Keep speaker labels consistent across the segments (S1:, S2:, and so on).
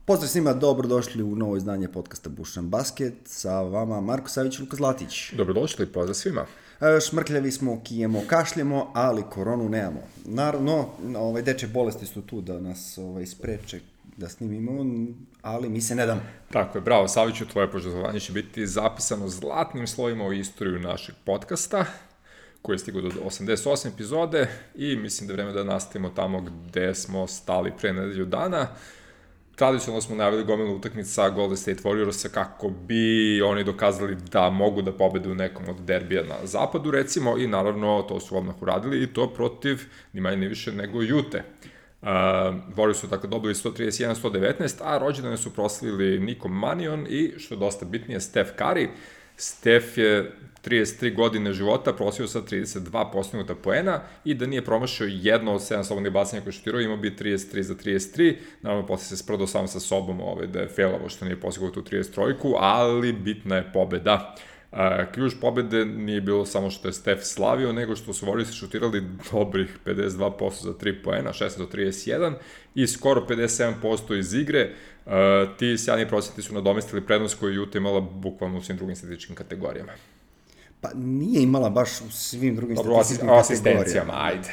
S1: Pozdrav svima, dobrodošli u novo izdanje podcasta Bušan Basket. Sa vama Marko Savić i Luka Zlatić.
S2: Dobrodošli, pozdrav svima.
S1: Šmrkljavi smo, kijemo, kašljemo, ali koronu nemamo. Naravno, deče bolesti su tu da nas spreče da snimimo, ali mi se ne damo.
S2: Tako je, bravo Saviću, tvoje poželjovanje će biti zapisano zlatnim slovima u istoriju našeg podcasta, koji je stigao do 88 epizode i mislim da je vreme da nastavimo tamo gde smo stali pre nedelju dana. Tradicionalno smo najavili gomilu utakmica Golden State Warriorsa kako bi oni dokazali da mogu da pobede u nekom od derbija na zapadu, recimo, i naravno to su odmah uradili i to protiv ni manje ni više nego Ute. Warriors su dakle dobili 131-119, a rođendane su proslavili Niko Manion i, što je dosta bitnije, Steph Curry. Steph je 33 godine života prosio sa 32 postignuta poena i da nije promašio jedno od 7 slobodnih bacanja koje šutirao, imao bi 33 za 33. Naravno, posle se sprdao sam sa sobom da je failavo što nije postigao tu 33-ku, ali bitna je pobeda. Ključ pobede nije bilo samo što je Steph slavio, nego što su Warriors šutirali dobrih 52% za 3 poena, 16 do 31 i skoro 57% iz igre. Ti sjajni procenti su nadomestili prednost koju Utah imala bukvalno u svim drugim statističkim kategorijama.
S1: Pa nije imala baš u svim drugim statističkim
S2: kategorijama. Asistencijama, ajde.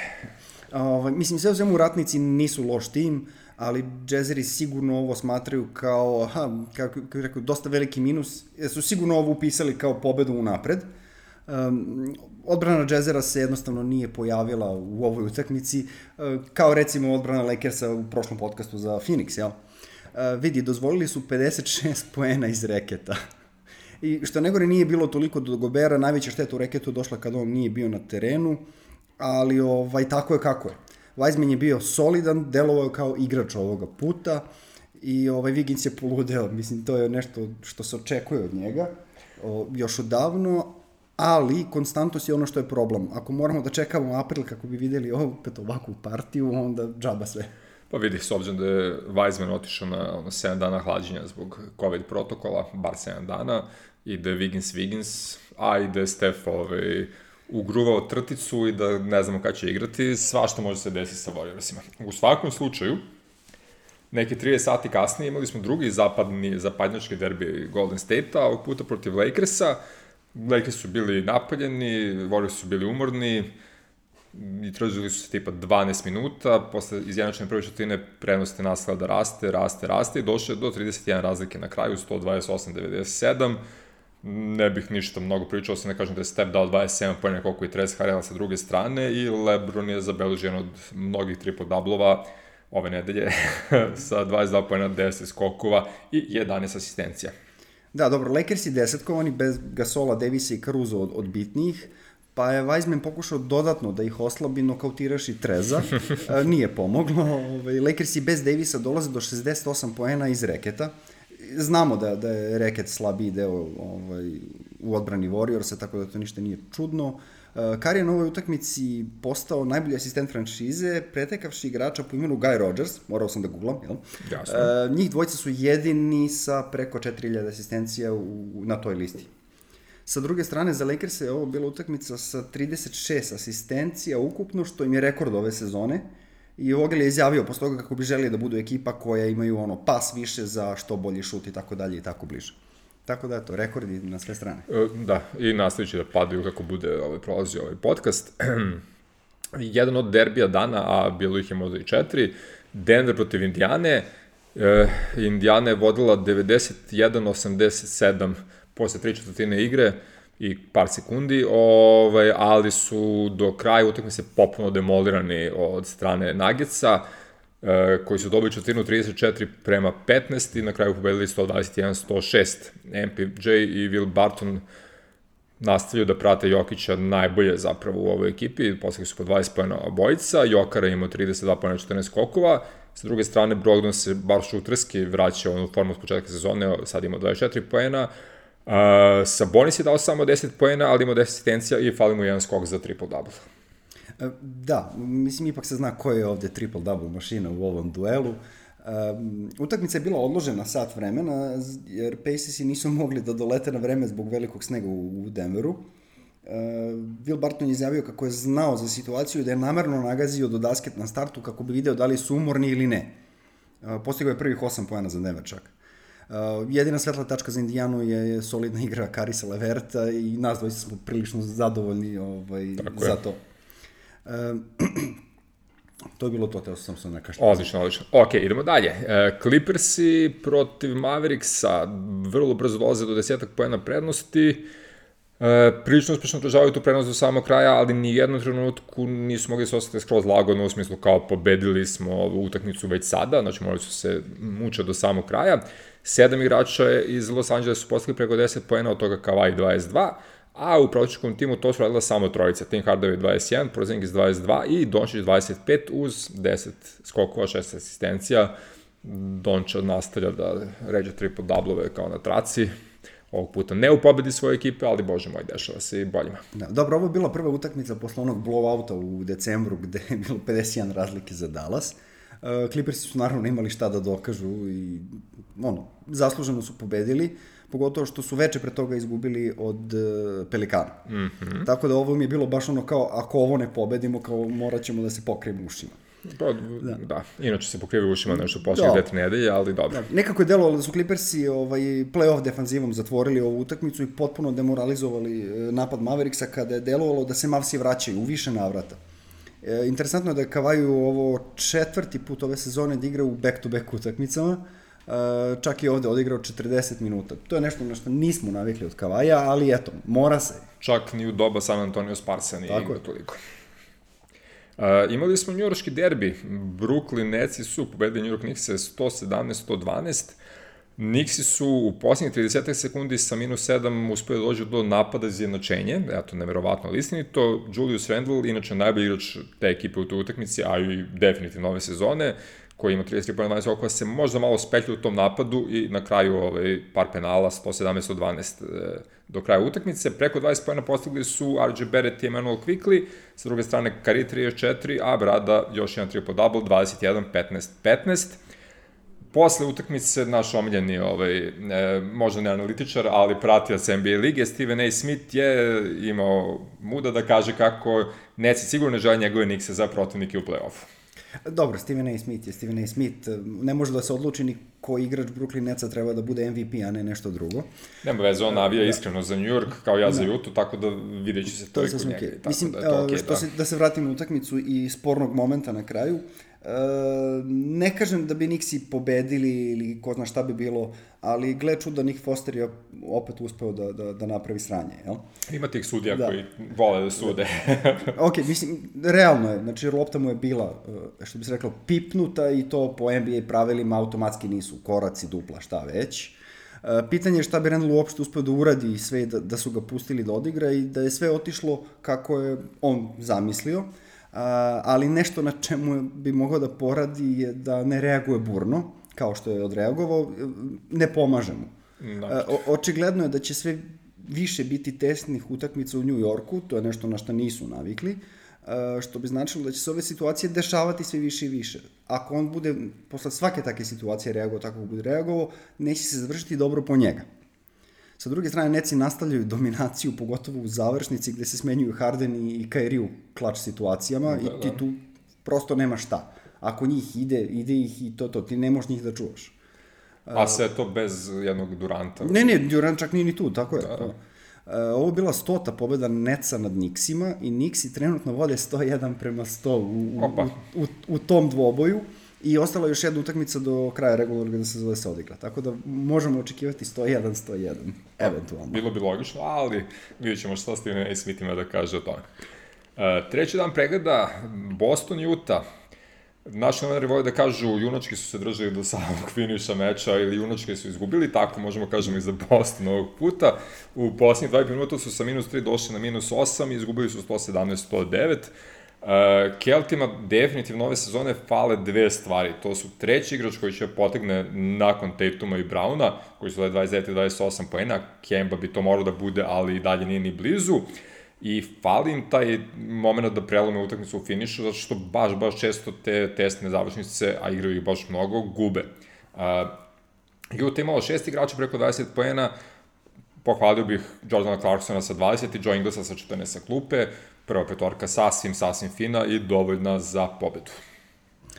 S1: Mislim, sve u svemu ratnici nisu loš tim, ali Jazzeri sigurno ovo smatraju kao, kako bih rekao, dosta veliki minus, jer su sigurno ovo upisali kao pobedu unapred. Odbrana Jazzera se jednostavno nije pojavila u ovoj utakmici, kao recimo odbrana Lakersa u prošlom podcastu za Phoenix, jel? Vidi, dozvolili su 56 poena iz reketa. I što negore nije bilo toliko do Gobera, najveća šteta u reketu došla kada on nije bio na terenu, ali tako je kako je. Wiseman je bio solidan, delovao kao igrač ovoga puta i Wiggins je poludeo. Mislim, to je nešto što se očekuje od njega još odavno, ali konstantnost je ono što je problem. Ako moramo da čekamo april kako bi videli opet ovakvu partiju, onda džaba sve.
S2: Pa vidi, s obzirom da je Wiseman otišao na 7 dana hlađenja zbog COVID protokola, bar 7 dana, i da je Wiggins, a i da je Steph ugruvao trticu i da ne znamo kada će igrati, svašta može se desiti sa Warriorsima. U svakom slučaju, neke 30 sati kasnije imali smo drugi zapadnjački derbi Golden State-a, ovog puta protiv Lakersa. Lakers su bili napaljeni, Warriors su bili umorni i tražili su se tipa 12 minuta, posle izjednačene prve četvrtine prednost je nastavila da raste i došlo je do 31 razlike na kraju, 128-97. Ne bih ništa mnogo pričao, se ne kažem da je Steph dao 27 pojena koliko i Trez Harrela sa druge strane i LeBron je zabeležen od mnogih triple-doublova ove nedelje sa 22 pojena, 10 skokova i 11 asistencija.
S1: Da, dobro, Lakersi desetkovani bez Gasola, Davisa i Caruso od bitnijih, pa je Wiseman pokušao dodatno da ih oslabi, nokautiraši Treza, nije pomoglo. Lakersi bez Davisa dolaze do 68 poena iz reketa. Znamo da je reket slabiji deo u odbrani Warriorsa, tako da to ništa nije čudno. Curry je na ovoj utakmici postao najbolji asistent franšize, pretekavši igrača po imenu Guy Rodgers, morao sam da googlam, jel?
S2: Jasno.
S1: Njih dvojica su jedini sa preko 4000 asistencija na toj listi. Sa druge strane, za Lakers je ovo bila utakmica sa 36 asistencija ukupno, što im je rekord ove sezone. I Vogel je izjavio posle toga kako bi želeli da budu ekipa koja imaju pas više za što bolji šut i tako dalje i tako bliže. Tako da, eto, rekordi na sve strane.
S2: Da, i nastavit će da padaju kako bude prolazio ovaj podcast. Jedan od derbija dana, a bilo ih je možda i 4, Denver protiv Indijane. Indijana je vodila 91-87 posle 3/4 igre i par sekundi, ali su do kraja utakmice potpuno demolirani od strane Nuggetsa, koji su dobili četvrtinu 34-15 i na kraju pobedili 121-106. MPJ i Will Barton nastavljaju da prate Jokića najbolje zapravo u ovoj ekipi, posle su po 20 pojena obojica, Jokara imao 32 pojena 14 skokova, sa druge strane Brogdon se bar šuterski vraća u formu s početka sezone, sad ima 24 pojena, Sabonis je dao samo 10 poena, ali ima 10 asistencija i fali mu jedan skok za triple-double.
S1: Da, mislim ipak se zna ko je ovde triple-double mašina u ovom duelu. Utakmica je bila odložena sat vremena, jer Pacersi nisu mogli da dolete na vreme zbog velikog snega u Denveru. Will Barton je izjavio kako je znao za situaciju da je namerno nagazio do dasket na startu kako bi video da li su umorni ili ne. Postigao je prvih 8 poena za Denver čak. Jedina svetla tačka za Indijanu je solidna igra Karisa Leverta i nas dvojica smo prilično zadovoljni za to. To je bilo to, teo sam se nekašta.
S2: Odlično. Ok, idemo dalje. Clippersi protiv Mavericksa vrlo brzo dolaze do 10 poena prednosti. Prilično uspešno održavaju tu prednost do samog kraja, ali ni jednom trenutku nisu mogli se ostati skroz lagodno, u smislu kao pobedili smo ovu utakmicu već sada, znači morali su se mučati do samog kraja. 7 igrača iz Los Angelesa su postigli preko 10 poena, od toga Kawhi 22, a u protivničkom timu to su radila samo trojica, Tim Hardaway 21, Porzingis 22 i Doncic 25 uz 10 skokova, 6 asistencija. Donča nastavlja da ređe triple-doublove kao na traci. Ovog puta ne u pobedi svoje ekipe, ali bože moj, dešava se i boljima.
S1: Da, dobro, ovo je bila prva utakmica posle onog blowouta u decembru, gde je bilo 51 razlike za Dallas. Clippersi su naravno imali šta da dokažu i zasluženo su pobedili, pogotovo što su veče pre toga izgubili od Pelikana. Tako da ovo mi je bilo baš kao, ako ovo ne pobedimo, kao morat ćemo da se pokrijemo ušima.
S2: Da, inače se pokrivaju ušima nešto posle 2-3 nedelje, ali dobro.
S1: Da. Nekako je delovalo da su Clippersi play-off defanzivom zatvorili ovu utakmicu i potpuno demoralizovali napad Mavericksa, kada je delovalo da se Mavsi vraćaju u više navrata. Interesantno je da je Kawhi ovo 4. put ove sezone da igra u back-to-back utakmicama, čak i ovde odigrao 40 minuta. To je nešto na što nismo navikli od Kawhija, ali eto, mora se.
S2: Čak ni u doba San Antonio Sparsa nije igra toliko. Imali smo njujorški derbi. Brooklyn Netsi su pobedili New York Knickse 117-112. Knicksi su u posljednjih 30 sekundi sa -7 uspeli da dođu do napada za jednačenje. Eto, neverovatno, ali istinito. Julius Randle, inače najbolji igrač te ekipe u toj utakmici, a i definitivno ove sezone, koji ima 33 poena 12 okova, se možda malo spetlja u tom napadu i na kraju par penala, 117-112 do kraja utakmice. Preko 20 poena postigli su RJ Barrett i Emmanuel Quickley, sa druge strane Curry 34, a Brada još jedan triple-double, 21-15-15. Posle utakmice naš omiljeni, možda ne analitičar, ali pratilac NBA lige, Stephen A. Smith je imao muda da kaže kako Netsi sigurno ne žele njegove Knickse za protivnike u play-offu.
S1: Dobro, Stephen A. Smith je Stephen A. Smith. Ne može da se odluči ni koji igrač Brooklyn Netsa treba da bude MVP, a ne nešto drugo.
S2: Nema veze, on navija iskreno za New York, kao ja za Utah, tako da vidjet će se to i kod njega.
S1: Mislim, da se vratim na utakmicu i spornog momenta na kraju, ne kažem da bi Knicksi pobedili ili ko zna šta bi bilo, ali gle čuda, Nick Foster je opet uspeo da napravi sranje, jel?
S2: Ima tih sudija koji vole da sude.
S1: Ok, mislim, realno je, znači lopta mu je bila, što bi se reklo, pipnuta i to po NBA pravilima automatski nisu koraci, dupla, šta već. Pitanje je šta bi Randle uopšte uspeo da uradi sve da su ga pustili da odigra i da je sve otišlo kako je on zamislio. Ali nešto na čemu bi mogao da poradi je da ne reaguje burno, kao što je odreagovao, ne pomaže mu. Očigledno je da će sve više biti tesnih utakmica u New Yorku, to je nešto na što nisu navikli, što bi značilo da će se ove situacije dešavati sve više i više. Ako on bude posle svake takve situacije reagovao tako kako bude reagovao, neće se završiti dobro po njega. Sa druge strane, Netsi nastavljaju dominaciju, pogotovo u završnici gde se smenjuju Harden i Kyrie u klač situacijama i ti tu prosto nema šta. Ako njih ide ih i to, ti ne možeš njih da čuvaš.
S2: A sve to bez jednog Duranta?
S1: Ne, Durant čak nije ni tu, tako je. Ovo je bila 100. pobeda Netsa nad Knicksima i Knicksi trenutno vode 101-100 u tom dvoboju. I ostala još jedna utakmica do kraja regularnog da se zove se odigra. Tako da možemo očekivati 101-101, eventualno.
S2: Bilo bi logično, ali vidjet ćemo šta Stephen A. Smith ima da kaže o tome. Treći dan pregleda, Boston i Utah. Naši novinari vole da kažu junački su se držali do samog finiša meča ili junački su izgubili, tako možemo kažemo i za Boston ovog puta. U posljednjih 20 minuta su sa -3 došli na -8 i izgubili su 117-109. Keltima definitivno ove sezone fale dve stvari. To su treći igrač koji će potegne nakon Tatuma i Browna, koji su dali 29-28 poena. Kemba bi to morao da bude, ali i dalje nije ni blizu. I fali im taj moment da prelome utakmicu u finišu, zato što baš često te testne završnice, a igraju ih baš mnogo, gube. Utah imalo 6 igrača preko 20 poena, pohvalio bih Jordana Clarksona sa 20 i Joe Inglesa sa 14 sa klupe, prva petorka sasvim fina i dovoljna za pobedu.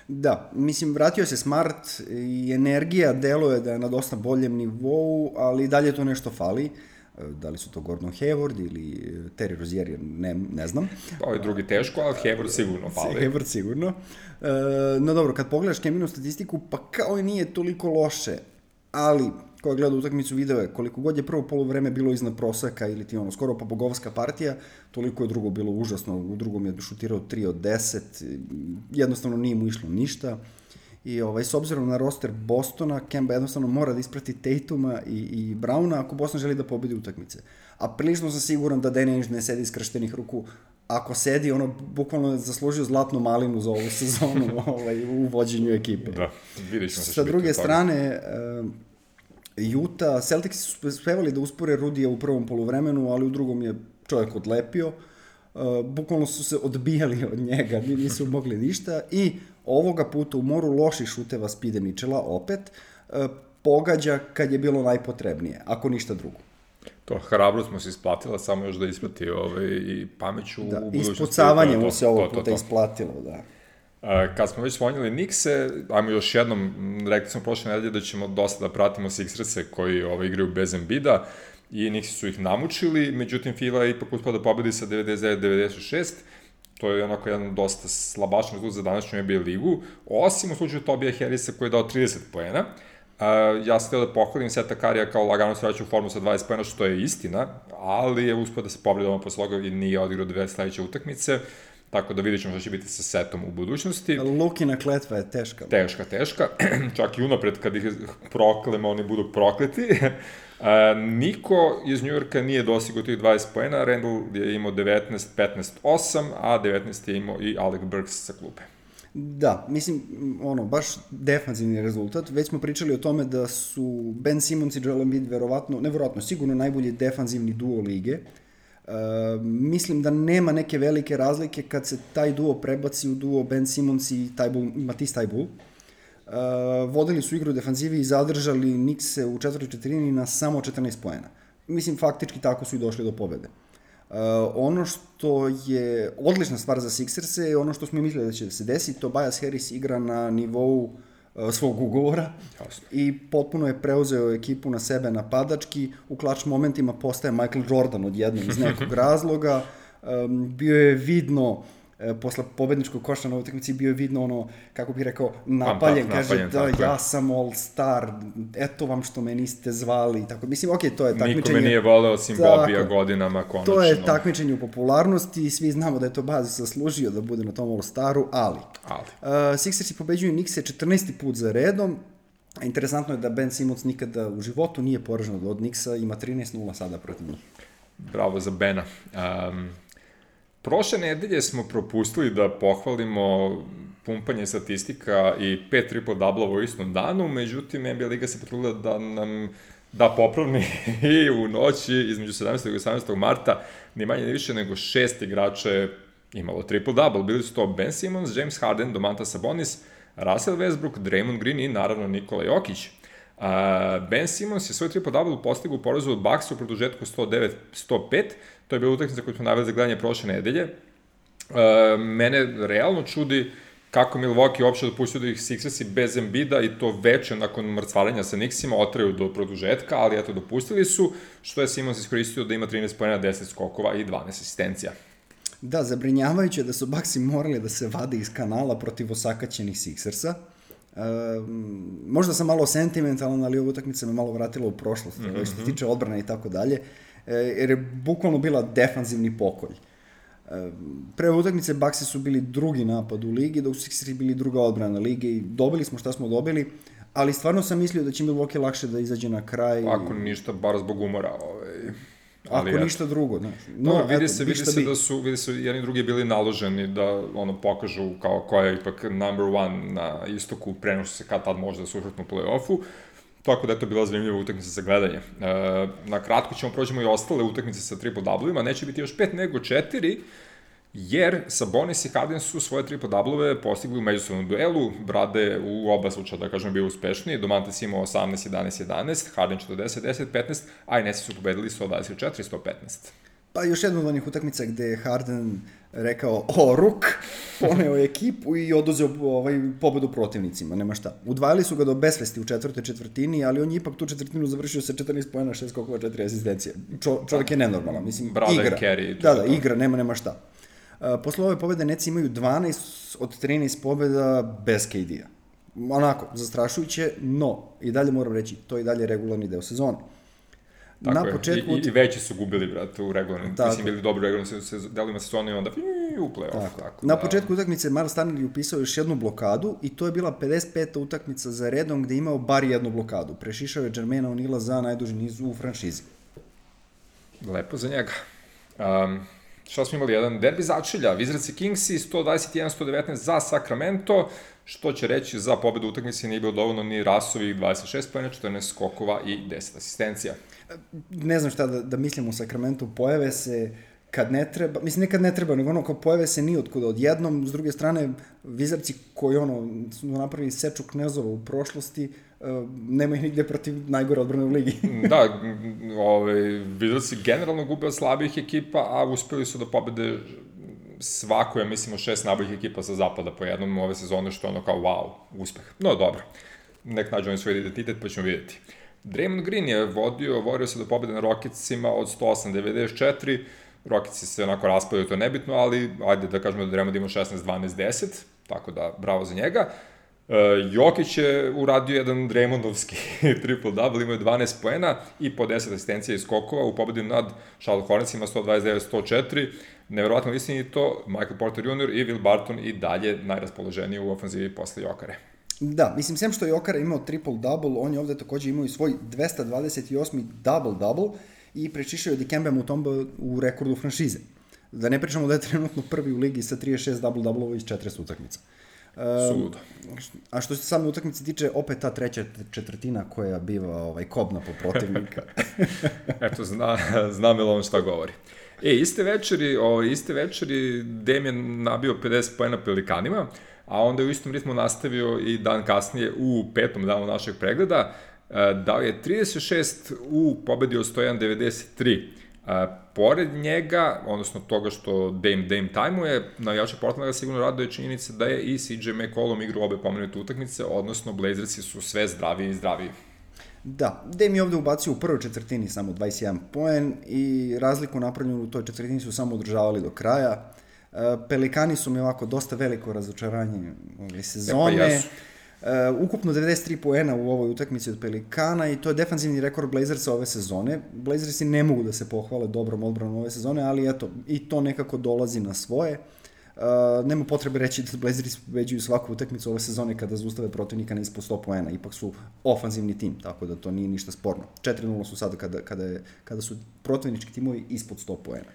S1: Da, mislim, vratio se Smart i energija deluje da je na dosta boljem nivou, ali dalje to nešto fali. Da li su to Gordon Hayward ili Terry Rozier, ne znam.
S2: Ovaj drugi teško, ali Hayward sigurno fali.
S1: Hayward sigurno. No dobro, kad pogledaš Keminu statistiku, pa kao i nije toliko loše, ali ko je gledao utakmicu video je koliko god je prvo poluvreme bilo iznad proseka ili ti skoro pa bogovska partija, toliko je drugo bilo užasno, u drugom je šutirao 3 od 10, jednostavno nije mu išlo ništa. I s obzirom na roster Bostona, Kemba jednostavno mora da isprati Tatuma i Browna ako Boston želi da pobedi utakmice. A prilično sam siguran da Danny Ainge ne sedi iskrštenih ruku. Ako sedi, bukvalno je zaslužio zlatnu malinu za ovu sezonu u vođenju ekipe.
S2: Da, vidiš što
S1: sa druge strane, Utah, Celtics su uspevali da uspore Rudija u prvom poluvremenu, ali u drugom je čovjek odlepio. Bukvalno su se odbijali od njega, nisu mogli ništa i ovoga puta u moru loših šuteva Speeda Mitchella opet pogađa kad je bilo najpotrebnije, ako ništa drugo.
S2: To hrabro smo se isplatila, samo još da isplati i pameću u budućnosti.
S1: Ispucavanje mu se ovog puta isplatilo, da.
S2: Kad smo već spomenuli Knickse, ajmo još jednom, rekli smo prošle nedelje da ćemo dosta da pratimo Sixerse koji igraju bez Embida i Knicksi su ih namučili, međutim Fila je ipak uspela da pobedi sa 99-96, to je onako jedan dosta slabašan rezultat za današnju NBA ligu, osim u slučaju Tobija Harrisa koji je dao 30 poena. Ja sam htio da pohvalim Seta Karija kao lagano se vraća u formu sa 20 poena, što je istina, ali je uspio da se povredi posle toga i nije odigrao 2 sledeće utakmice, tako da vidjet ćemo što će biti sa Setom u budućnosti.
S1: Lukina kletva je teška.
S2: Teška. Čak i unapred kad ih proklemo, oni budu prokleti. Niko iz Njujorka nije dostigao tih 20 poena, Randall je imao 19-15-8, a 19 je imao i Alec Burks sa klupe.
S1: Da, mislim, baš defanzivni rezultat. Već smo pričali o tome da su Ben Simmons i Joel Embiid sigurno najbolji defanzivni duo lige. Mislim da nema neke velike razlike kad se taj duo prebaci u duo Ben Simmons i Matisse Thybulle. Vodili su igru u defanzivi i zadržali Knickse u četvrtoj četvrtini na samo 14 poena. Mislim, faktički tako su i došli do pobede. Ono što je odlična stvar za Sixerse je ono što smo mislili da će se desiti, Tobias Harris igra na nivou svog ugovora. Jasno. I potpuno je preuzeo ekipu na sebe napadački, u klač momentima postaje Michael Jordan odjednom iz nekog razloga, bio je vidno posle pobedničkog koša na utakmici bio je vidno kako bih rekao, napaljen, kaže da ja sam all star, eto vam što me niste zvali, tako, mislim, to je takmičenje.
S2: Niko me nije voleo osim Bobija godinama, konačno.
S1: To je takmičenje u popularnosti i svi znamo da je to Baz zaslužio da bude na tom all staru, ali. Sixersi pobeđuju Knickse 14. put za redom. Interesantno je da Ben Simmons nikada u životu nije poražen od Knicksa, ima 13-0 sada protiv njih.
S2: Bravo za Bena. Prošle nedelje smo propustili da pohvalimo pumpanje statistika i 5 triple-doublova u istom danu, međutim NBA Liga se potrudila da nam da popravni i u noći između 17. i 18. marta ni manje ni više nego 6 igrača je imalo triple-double. Bili su to Ben Simmons, James Harden, Domantas Sabonis, Russell Westbrook, Draymond Green i naravno Nikola Jokić. Ben Simmons je svoj triple-double postigao u porazu od Bucksa u produžetku 109-105, to je bila utakmica koju smo naveli za gledanje prošle nedelje. Mene realno čudi kako Milwaukee uopšte dopustio da ih Sixersi bez Embida i to veče nakon mrcvarenja sa Knicksima otraju do produžetka, ali eto dopustili su, što je Simmons iskoristio da ima 13 poena, 10 skokova i 12 asistencija.
S1: Da, zabrinjavajuće da su Bucksi morali da se vade iz kanala protiv osakaćenih Sixersa. Možda sam malo sentimentalan, ali ova utakmica me malo vratila u prošlost, što se tiče odbrane i tako dalje, jer je bukvalno bila defanzivni pokolj. Pre utakmice Bucksi su bili drugi napad u ligi, dok su Sixersi bili druga odbrana lige i dobili smo šta smo dobili, ali stvarno sam mislio da će Milwaukee lakše da izađe na kraj.
S2: Ako ništa, bar zbog umora.
S1: Ako ništa drugo, znaš.
S2: Vidi se da su jedni i drugi bili naloženi da pokažu kao koja je ipak number one na istoku, preno što se kad tad može da se uhrtnu u play-offu. Tako da je to bila zanimljiva utakmica za gledanje. Na kratko ćemo prođemo i ostale utakmice sa triple-doublevima, neće biti još 5 nego 4, jer Sabonis i Harden su svoje triple-doubleve postigli u međusobnom duelu, Brade u oba slučaja, da kažem, bio uspešniji, Domantas imao 18-11-11, Harden 40-10-15, a i Nesi su pobedili 124-115.
S1: Pa još jedna od onih utakmica gde je Harden rekao, ruk, poneo je ekipu i oduzeo pobedu protivnicima, nema šta. Udvajali su ga do besvesti u četvrtoj četvrtini, ali on je ipak tu četvrtinu završio sa 14 poena, 6 skokova, 4 asistencije. Čovjek je nenormalan, mislim, igra.
S2: Carry,
S1: da, igra, nema šta. Posle ove pobede Neci imaju 12 od 13 pobeda bez KD-a. Onako, zastrašujuće, no, i dalje moram reći, to je i dalje regularni deo sezone.
S2: Tako na početku... I veći su gubili, brate, u regularnim. Mislim, bili dobri regularnim delima sezona i onda u play-off. Tako,
S1: na početku utakmice Miles Turner je upisao još jednu blokadu i to je bila 55. utakmica za redom gde je imao bar jednu blokadu. Prešišao je Jermaina O'Neala za najduži niz u franšizi.
S2: Lepo za njega. Šta smo imali? Jedan derbi začelja. Wizards i Kingsi 121-119 za Sacramento, što će reći za pobedu utakmice nije bilo dovoljno ni Rasovih 26 poena, 14 skokova i 10 asistencija.
S1: Ne znam šta da mislim u Sacramento, pojave se kad ne treba, mislim ne kad ne treba, nego kao pojave se ni otkuda odjednom, s druge strane Wizardsi koji su napravili seču knezova u prošlosti, nema ih nigde protiv najgore odbrane u ligi.
S2: Da, Wizardsi generalno gube od slabih ekipa, a uspeli su da pobede svako, ja mislim, 6 najboljih ekipa sa zapada po jednom ove sezone, što je ono kao wow, uspeh. No, dobro, nek nađu oni svoj identitet, pa ćemo vidjeti. Draymond Green je vodio se do pobede na Rocketsima od 108-94, Rocketsi se onako raspadaju, to je nebitno, ali ajde da kažemo da Draymond ima 16-12-10, tako da bravo za njega. Jokić je uradio jedan Draymondovski triple-double, imao je 12 poena i po 10 asistencija i skokova u pobedi nad Charlotte Hornetsima 129-104. Neverovatno istinito, Michael Porter Jr. i Will Barton i dalje najraspoloženiji u ofanzivi posle Jokare.
S1: Da, mislim, sem što je Jokara imao triple-double, on je ovde takođe imao i svoj 228. double-double i prečišao je Dikembe Mutombo u rekordu franšize. Da ne pričamo da je trenutno prvi u ligi sa 36 double-double-ova iz 40 utakmica.
S2: Suludo.
S1: A što se same utakmice tiče, opet ta treća četvrtina koja biva kobna po protivnika.
S2: Eto, zna Melon šta govori. Iste večeri Damian nabio 50 poena Pelikanima, a onda je u istom ritmu nastavio i dan kasnije u petom danu našeg pregleda. Dao je 36 u pobedi od 101-93. Pored njega, odnosno toga što Dame tajmuje, navijača Portlanda ga sigurno raduje činjenica da je i CJ McCollum igrao obe pomenute utakmice, odnosno Blazersi su sve zdraviji i zdraviji.
S1: Da, Dame je ovde ubacio u prvoj četvrtini samo 21 poen i razliku napravljenu u toj četvrtini su samo održavali do kraja. Pelikani su mi ovako dosta veliko razočaranje ove sezone. Ukupno 93 poena u ovoj utakmici od Pelikana i to je defanzivni rekord Blazersa ove sezone. Blazersi ne mogu da se pohvale dobrom odbranom ove sezone, ali eto, i to nekako dolazi na svoje. Nema potrebe reći da Blazersi pobeđuju svaku utakmicu ove sezone kada zaustave protivnika na ispod 100 poena. Ipak su ofanzivni tim, tako da to nije ništa sporno. 4-0 su sada kada su protivnički timovi ispod 100 poena.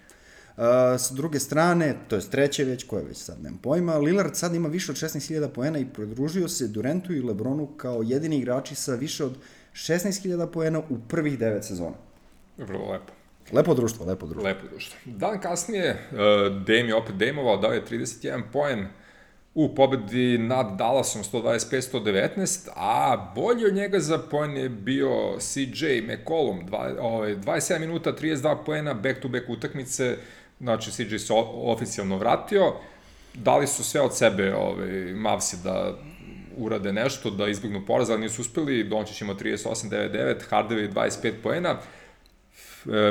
S1: S druge strane, to je treće već, koje već sad nemam pojma, Lillard sad ima više od 16.000 poena i pridružio se Durantu i Lebronu kao jedini igrači sa više od 16.000 poena u prvih 9 sezona.
S2: Vrlo lepo.
S1: Lepo društvo.
S2: Dan kasnije, Dame je opet Dameovao, dao je 31 poen u pobedi nad Dallasom 125-119, a bolji od njega za poen je bio CJ McCollum, 27 minuta, 32 poena, back-to-back utakmice, znači CJ se oficijalno vratio, dali su sve od sebe Mavsi da urade nešto, da izbjegnu poraz, ali nisu uspeli, Dončić ima 38-99, Hardaway 25 poena,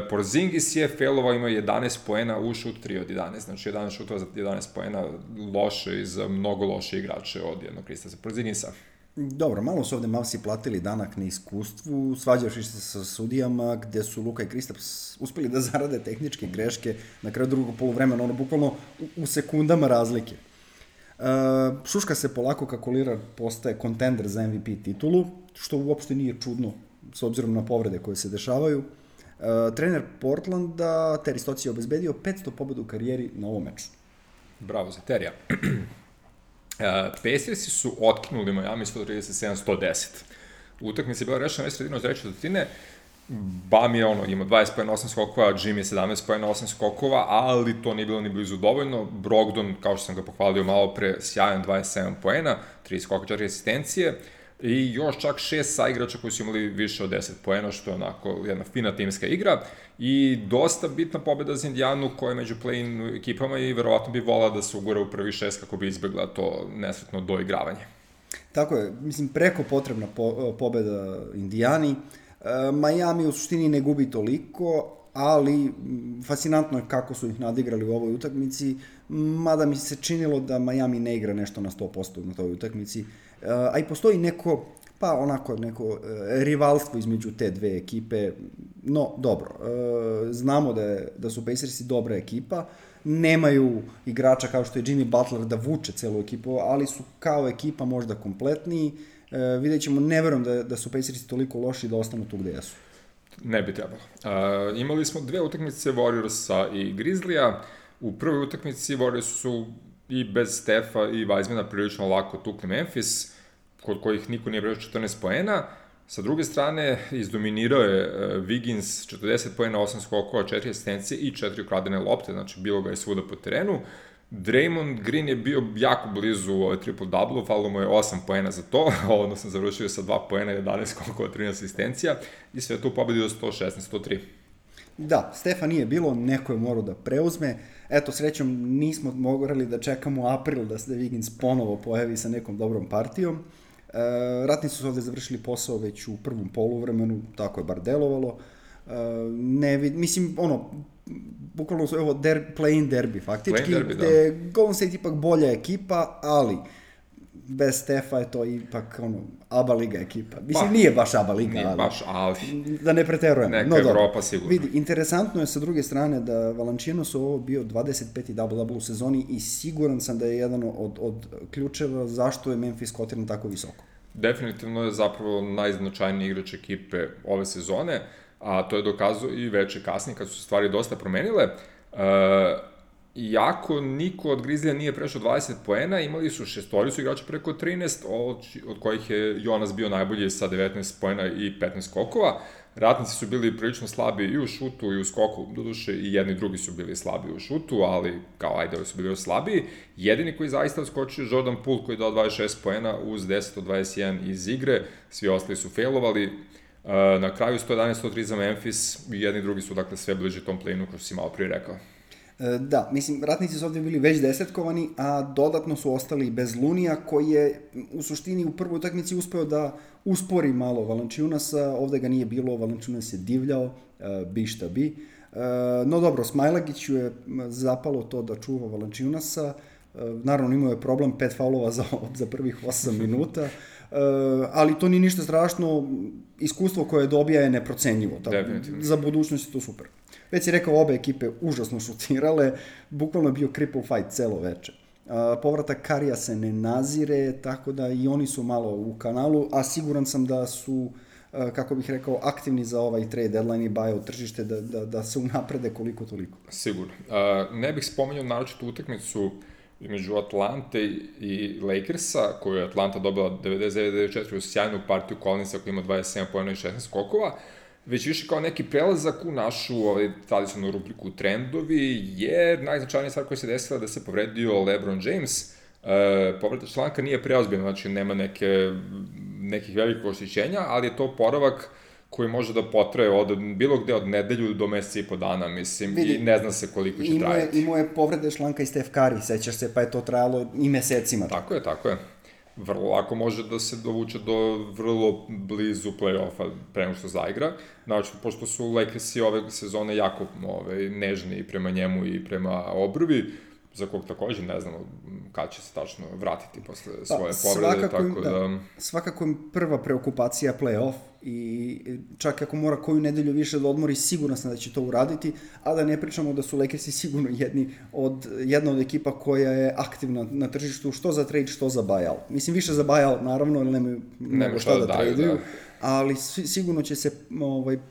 S2: Porzingis je failovao, imao 11 poena u šut 3 od 11, znači 11 šutova za 11 poena, loše i za mnogo loše igrače od jednog Kristasa Porzingisa.
S1: Dobro, malo su ovde Mavsi platili danak na iskustvu, svađavši se sa sudijama, gde su Luka i Kristaps uspeli da zarade tehničke greške na kraju drugog poluvremena, bukvalno u sekundama razlike. Šuška se polako kako Lillard postaje kontender za MVP titulu, što uopšte nije čudno s obzirom na povrede koje se dešavaju. Trener Portlanda, Terry Stotts je obezbedio 500 pobeda u karijeri na ovom meču.
S2: Bravo za Terija. Pacersi su otkinuli Miami 137-110. Utakmica je bila rešena već sredinom treće četvrtine. Bam je ima 20 poena, 8 skokova, Jimmy je 17 poena, 8 skokova, ali to nije bilo ni blizu dovoljno. Brogdon, kao što sam ga pohvalio malo pre, sjajan 27 poena, 3 skoka, 4 asistencije. i još čak 6 saigrača koji su imali više od 10 poena, što je onako jedna fina timska igra i dosta bitna pobeda za Indijanu koja je među play-in ekipama i verovatno bi volala da se ugura u prvi 6 kako bi izbjegla to nesretno doigravanje.
S1: Tako je, mislim, preko potrebna pobeda Indijani. Miami u suštini ne gubi toliko, ali fascinantno je kako su ih nadigrali u ovoj utakmici, mada mi se činilo da Miami ne igra nešto na 100% na toj utakmici, a i postoji neko rivalstvo između te dve ekipe, no dobro, znamo da su Pacersi dobra ekipa, nemaju igrača kao što je Jimmy Butler da vuče celu ekipu, ali su kao ekipa možda kompletniji, vidjet ćemo, ne verujem da su Pacersi toliko loši da ostanu tu gde jesu.
S2: Ne bi trebalo. Imali smo 2 utakmice Warriorsa i Grizzlija. U prvoj utakmici Warriors su i bez Stefa i Weizmana prilično lako tukli Memphis, kod kojih niko nije prešao 14 poena. Sa druge strane, izdominirao je Wiggins 40 poena, 8 skokova, 4 asistencije i 4 ukradene lopte, znači bilo ga je svuda po terenu. Draymond Green je bio jako blizu triple-double, falilo mu je 8 poena za to, odnosno završio sa 2 poena, 11 skokova, 13 asistencija i sve to pobedio 116-103.
S1: Da, Stefa nije bilo, neko je morao da preuzme. Eto, srećom, nismo morali da čekamo april da se Wiggins ponovo pojavi sa nekom dobrom partijom. Ratnici su ovde završili posao već u prvom poluvremenu, tako je bar delovalo. Bukvalno su play-in derby faktički, gde Golden State ipak bolja ekipa, ali bez Stefa je to ipak ABA liga ekipa. Mislim, nije baš ABA liga,
S2: nije baš, ali
S1: da ne preterujemo.
S2: Neka Evropa sigurno.
S1: Vidi, interesantno je sa druge strane da Valanciunas ovo bio 25. double-double u sezoni i siguran sam da je jedan od ključeva zašto je Memphis kotiran tako visoko.
S2: Definitivno je zapravo najznačajniji igrač ekipe ove sezone, a to je dokazao i veče kasnije kad su se stvari dosta promenile. Iako niko od Grizzlija nije prešao 20 poena, imali su 6 igrača preko 13, od kojih je Jonas bio najbolji sa 19 poena i 15 skokova. Ratnici su bili prilično slabi i u šutu i u skoku, doduše i jedni i drugi su bili slabi u šutu, ali kao ajde, su bili još slabiji. Jedini koji zaista odskočio je Jordan Poole koji je dao 26 poena uz 10 od 21 iz igre, svi ostali su failovali. Na kraju 111-103 za Memphis i jedni i drugi su dakle sve bliže tom play-inu kao što si malo prije rekao.
S1: Da, mislim, Ratnici su ovde bili već desetkovani, a dodatno su ostali bez Lunija, koji je u suštini u prvoj utakmici uspeo da uspori malo Valanciunasa, ovde ga nije bilo, Valanciunas je divljao, bi šta bi. No dobro, Smailagiću je zapalo to da čuva Valanciunasa, naravno imao je problem 5 faulova za prvih 8 minuta, ali to nije ništa strašno, iskustvo koje dobija je neprocenjivo, za budućnost je to super. Već si rekao, obe ekipe užasno šutirale, bukvalno je bio cripple fight celo veče. Povratak Karija se ne nazire, tako da i oni su malo u kanalu, a siguran sam da su, kako bih rekao, aktivni za ovaj trade deadline i buyout tržište, da se unaprede koliko toliko.
S2: Sigurno. Ne bih spomenuo naročitu utakmicu između Atlante i Lakersa, koju je Atlanta dobila 99-94 u sjajnu partiju Collinsa koji ima 27 pojena i 16 skokova, već više kao neki prelazak u našu tradicionalnu rubriku trendovi, jer najznačajnija stvar koja se desila da se povredio LeBron James. Povreda članka nije preozbiljna, znači nema nekih velikih oštećenja, ali je to oporavak koji može da potraje od bilo gde od nedelju do meseca i po dana, mislim, vidi, i ne zna se koliko će trajati.
S1: Imao je povrede članka i Steph Curry, sećaš se, pa je to trajalo i mesecima.
S2: Tako je. Vrlo lako može da se dovuče do vrlo blizu play-offa pre nego što zaigra. Znači, pošto su Lakersi ove sezone jako nežni prema njemu i prema obrvi, za kog takođe ne znamo kada će se tačno vratiti posle svoje povrede, tako da...
S1: Svakako je prva preokupacija play-off i čak ako mora koju nedelju više da odmori, sigurno sam da će to uraditi, a da ne pričamo da su Lakersi sigurno jedna od ekipa koja je aktivna na tržištu, što za trade, što za buyout. Mislim, više za buyout, naravno, jer nemaju šta da traduju, ali sigurno će se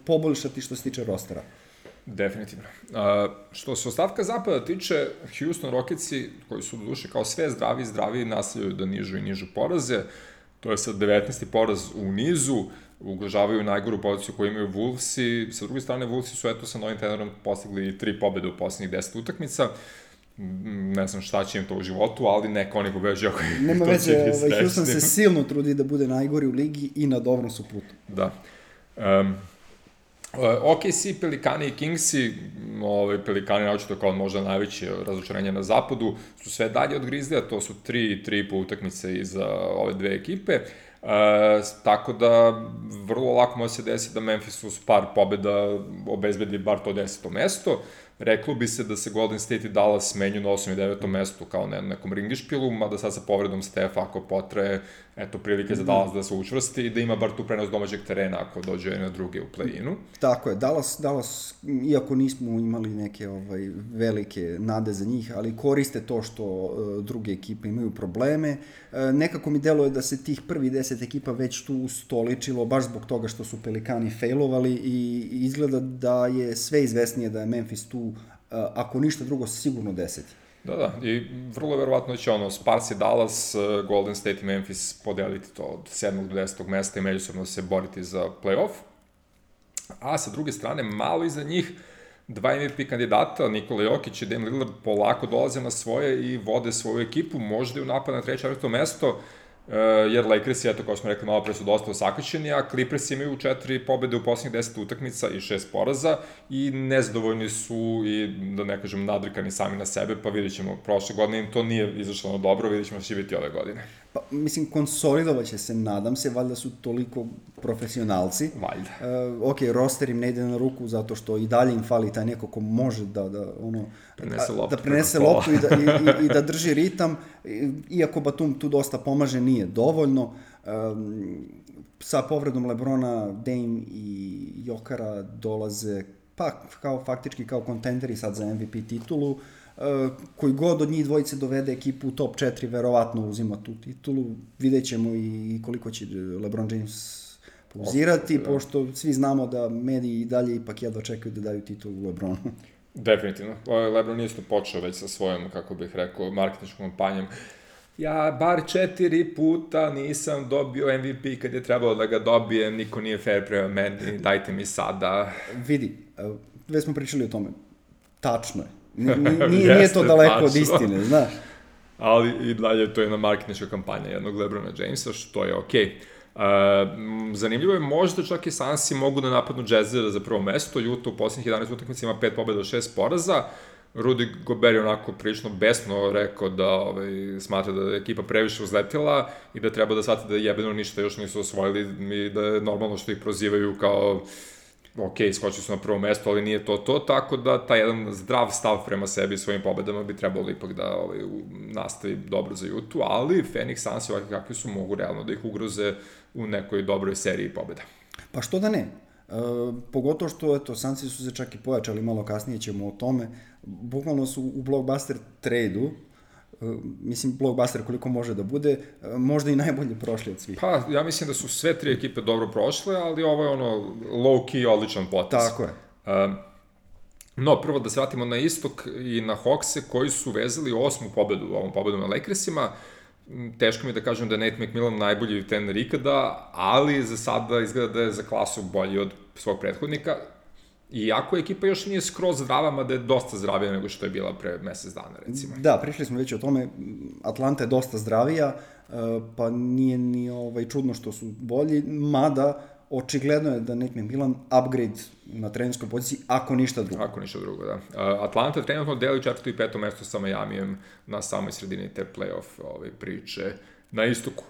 S1: poboljšati što se tiče rostera.
S2: Definitivno. Što se ostatka zapada tiče, Houston Rocketsi, koji su duše kao sve zdravi nastavljaju da nižu i nižu poraze, to je sad 19. poraz u nizu, ugrožavaju najgoru poziciju koju imaju Wolvesi, sa druge strane Wolvesi su sa novim trenerom postigli 3 pobede u poslednjih 10 utakmica ne znam šta će im to u životu, ali neka oni pobeđuju ako
S1: nema
S2: to
S1: veze,
S2: će biti srećni.
S1: Houston se silno trudi da bude najgori u ligi i na dobrom su putu.
S2: Da. OKC, Pelikani i Kingsi, Pelikani naočito kao možda najveće razočarenje na zapadu, su sve dalje od Grizzlija, to su 3,5 utakmice iza ove dve ekipe, tako da vrlo lako može se desiti da Memphis uz par pobjeda obezbedi bar to 10. mesto. Reklo bi se da se Golden State i Dallas menju na 8. i 9. mestu kao na nekom ringišpilu, mada sad sa povredom Stefa ako potraje, eto prilike za Dallas da se učvrsti i da ima bar tu prenos domaćeg terena ako dođe na druge u play-inu.
S1: Tako je, Dallas, iako nismo imali neke velike nade za njih, ali koriste to što druge ekipe imaju probleme. Nekako mi deluje da se tih prvi 10 ekipa već tu ustoličilo, baš zbog toga što su Pelikani failovali i izgleda da je sve izvesnije da je Memphis tu, ako ništa drugo, sigurno 10.
S2: Da, i vrlo verovatno će Spurs i Dallas, Golden State i Memphis podeliti to od 7. do 10. mesta i međusobno se boriti za play-off. A sa druge strane, malo iza njih, dva MVP kandidata, Nikola Jokić i Dame Lillard, polako dolaze na svoje i vode svoju ekipu, možda i u napad na 3. 4. mesto, jer Lakersi, eto, kao smo rekli, malo pre su dosta osakaćeni, a Clippers imaju 4 pobede u posljednjih 10 utakmica i 6 poraza i nezadovoljni su i, da ne kažem, nadrikani sami na sebe, pa vidjet ćemo, prošle godine im to nije izašlo dobro, vidjet ćemo što će biti ove godine.
S1: Pa, mislim, konsolidovat će se, nadam se, valjda su toliko profesionalci.
S2: Valjda.
S1: Ok, roster im ne ide na ruku zato što i dalje im fali taj neko ko može da prenese loptu i da drži ritam, iako Batum tu dosta pomaže, nije dovoljno. Sa povredom LeBrona, Dame i Jokara dolaze faktički kao kontenderi sad za MVP titulu. Koji god od njih dvojice dovede ekipu u top 4, verovatno uzima tu titulu. Vidjet ćemo i koliko će LeBron James pauzirati, pošto svi znamo da mediji i dalje ipak jedva čekaju da daju titulu LeBronu.
S2: Definitivno. LeBron isto počeo već sa svojom, kako bih rekao, marketinškom kampanjom. Ja bar 4 puta nisam dobio MVP kad je trebalo da ga dobijem, niko nije fair prema meni, dajte mi sada.
S1: Vidi, već smo pričali o tome, tačno je. Nije to daleko od istine, znaš.
S2: Ali i dalje to je jedna marketinška kampanja jednog LeBrona Jamesa, što je okej. Zanimljivo je, možda čak i Sansi mogu da napadnu Jazzera za prvo mesto. Utah u posljednjih 11 utakmica ima 5 pobjeda od 6 poraza. Rudy Gobert je onako prilično besno rekao da smatra da je ekipa previše uzletila i da treba da shvati da jebeno ništa još nisu osvojili i da je normalno što ih prozivaju kao ok, skočili su na prvo mesto, ali nije to, tako da taj jedan zdrav stav prema sebi i svojim pobedama bi trebalo ipak da nastavi dobro za Utah, ali Phoenix Suns ovakvi kakvi su mogu realno da ih ugroze u nekoj dobroj seriji pobeda.
S1: Pa što da ne? Pogotovo što, eto, Sunsi su se čak i pojačali, malo kasnije ćemo o tome, bukvalno su u blockbuster trade-u, mislim blockbuster koliko može da bude, možda i najbolje prošli od svih.
S2: Pa, ja mislim da su sve 3 ekipe dobro prošle, ali ovo je low-key odličan potez.
S1: Tako je.
S2: No, prvo da se vratimo na istok i na Hawkse koji su vezali 8. pobedu, ovom pobedom na Lakersima. Teško mi da kažem da je Nate McMillan najbolji trener ikada, ali za sada izgleda da je za klasu bolji od svog prethodnika. Iako ekipa još nije skroz zdrava, mada je dosta zdravija nego što je bila pre mesec dana, recimo.
S1: Da, pričali smo već o tome, Atlanta je dosta zdravija, pa nije ni čudno što su bolji, mada očigledno je da Nate McMillan upgrade na trenerskoj poziciji, ako ništa drugo.
S2: Ako ništa drugo, da. Atlanta trenutno deli 4. i 5. mesto sa Miamijem na samoj sredini te play-off priče na istoku.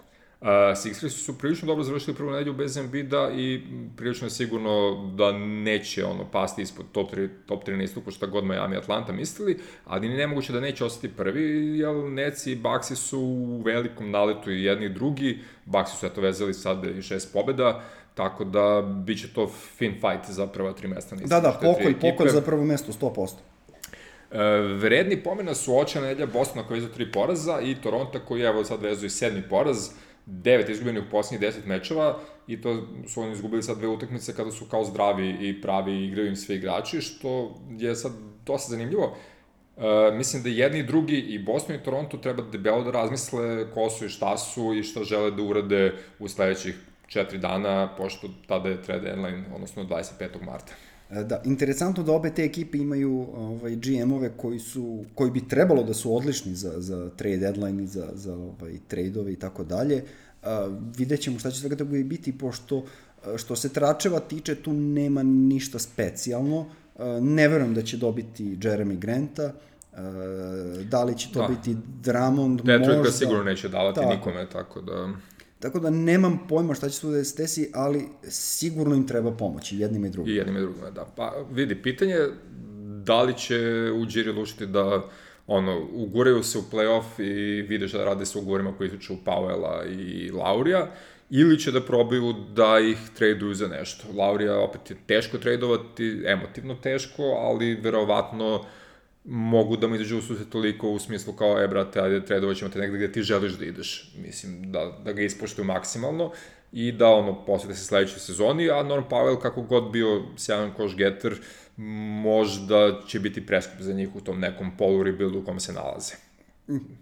S2: Sixersi su prilično dobro završili prvu nedelju bez Embida i prilično je sigurno da neće pasti ispod top 3 na istoku šta god Miami i Atlanta mislili, ali nemoguće da neće ostati prvi, jer Nets i Bucksi su u velikom naletu i jedni i drugi. Bucksi su vezali sad i 6 pobjeda, tako da bit će to fin fight za prva 3 mesta na istoku.
S1: Da, pokolj za prvo mesto, 100%.
S2: Vredni pomena su očana nedelja Bostona koji je za 3 poraza i Toronto koji je sad vezuje 7. poraz, 9 izgubljenih u posljednjih 10 mečeva i to su oni izgubili sad 2 utakmice kada su kao zdravi i pravi i igraju im svi igrači, što je sad dosta zanimljivo. Mislim da jedni i drugi, i Boston i Toronto, treba debelo da razmisle ko su i šta žele da urade u sledećih 4 dana, pošto tada je trade deadline, odnosno 25. marta.
S1: Da, interesantno da obe te ekipe imaju GM-ove koji bi trebalo da su odlični za trade deadline i za trade-ove i tako dalje. Vidjet ćemo šta će svega toga biti, pošto što se tračeva tiče, tu nema ništa specijalno. Ne verujem da će dobiti Jeremy Granta, da li će to biti Drummond,
S2: Detroit ga sigurno neće davati nikome,
S1: Tako da nemam pojma šta će tu da se desi, ali sigurno im treba pomoći, jednima i drugima.
S2: I jednima i drugima, da. Pa vidi, pitanje da li će Ujiri lušiti da uguraju se u play-off i vide šta da rade sa ugovorima koji tiču Powella i Laurija, ili će da probaju da ih traduju za nešto. Laurija opet je teško tradovati, emotivno teško, ali verovatno mogu da mu izađu u susret toliko u smislu kao, brate, ajde, tradovat ćemo te negde gde ti želiš da ideš. Mislim, da ga ispoštuju maksimalno i da posvete se sledećoj sezoni, a Norm Powell, kako god bio sjajan koš-getter, možda će biti preskup za njih u tom nekom polu-rebuildu u kom se nalaze.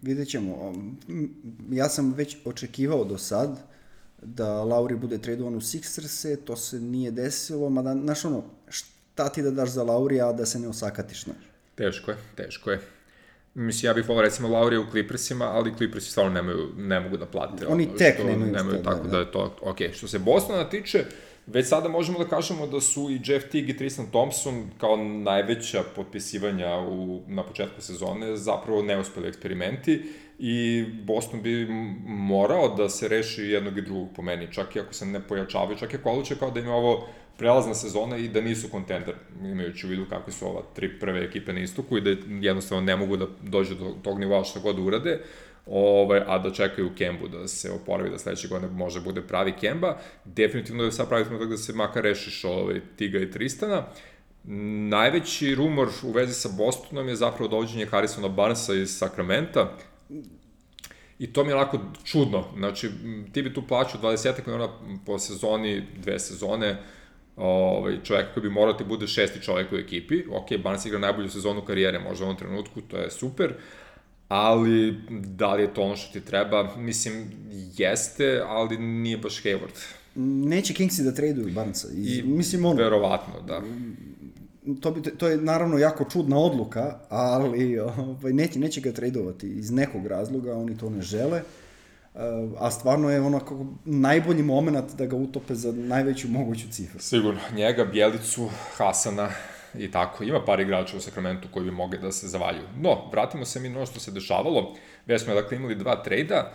S1: Vidjet ćemo. Ja sam već očekivao do sad da Lauri bude tradovan u Sixers-e, to se nije desilo, mada, znaš šta ti da daš za Laurija, a da se ne osakatiš, znaš?
S2: Teško je. Mislim, ja bih volao recimo Laurija u Clippersima, ali Clippersi stvarno ne mogu da plate.
S1: Oni tek nemaju
S2: tako da je to ok. Što se Bostona tiče, već sada možemo da kažemo da su i Jeff Teague i Tristan Thompson kao najveća potpisivanja na početku sezone zapravo neuspeli eksperimenti i Boston bi morao da se reši jednog i drugog po meni, čak i ako se ne pojačavaju, čak i ako odluče kao da im je ovo prelazna sezona i da nisu kontender, imajući u vidu kakve su ova 3 prve ekipe na istoku i da jednostavno ne mogu da dođu do tog nivoa šta god urade, a da čekaju Kembu da se oporavi, da sledeće godine može bude pravi Kemba. Definitivno je sad pravi trenutak da se makar rešiš Tiga i Tristana. Najveći rumor u vezi sa Bostonom je zapravo dovođenje Harrisona Barnesa iz Sakramenta. I to mi je onako čudno. Znači, ti bi tu plaćao 20 miliona po sezoni, 2 sezone, čovjek koji bi morao ti bude 6. čovjek u ekipi. Ok, Barnes igra najbolju sezonu karijere, možda u ovom trenutku, to je super, ali da li je to ono što ti treba? Mislim, jeste, ali nije baš Hayward.
S1: Neće Kingsi da traduju Barnesa.
S2: Verovatno, da.
S1: To je naravno jako čudna odluka, ali neće ga tradovati iz nekog razloga, oni to ne žele, a stvarno je onako najbolji moment da ga utope za najveću moguću cifru.
S2: Sigurno, njega, Bjelicu, Hasana i tako. Ima par igrača u Sakramentu koji bi mogli da se zavaljuju. No, vratimo se mi na ono što se dešavalo. Već smo imali 2 trejda.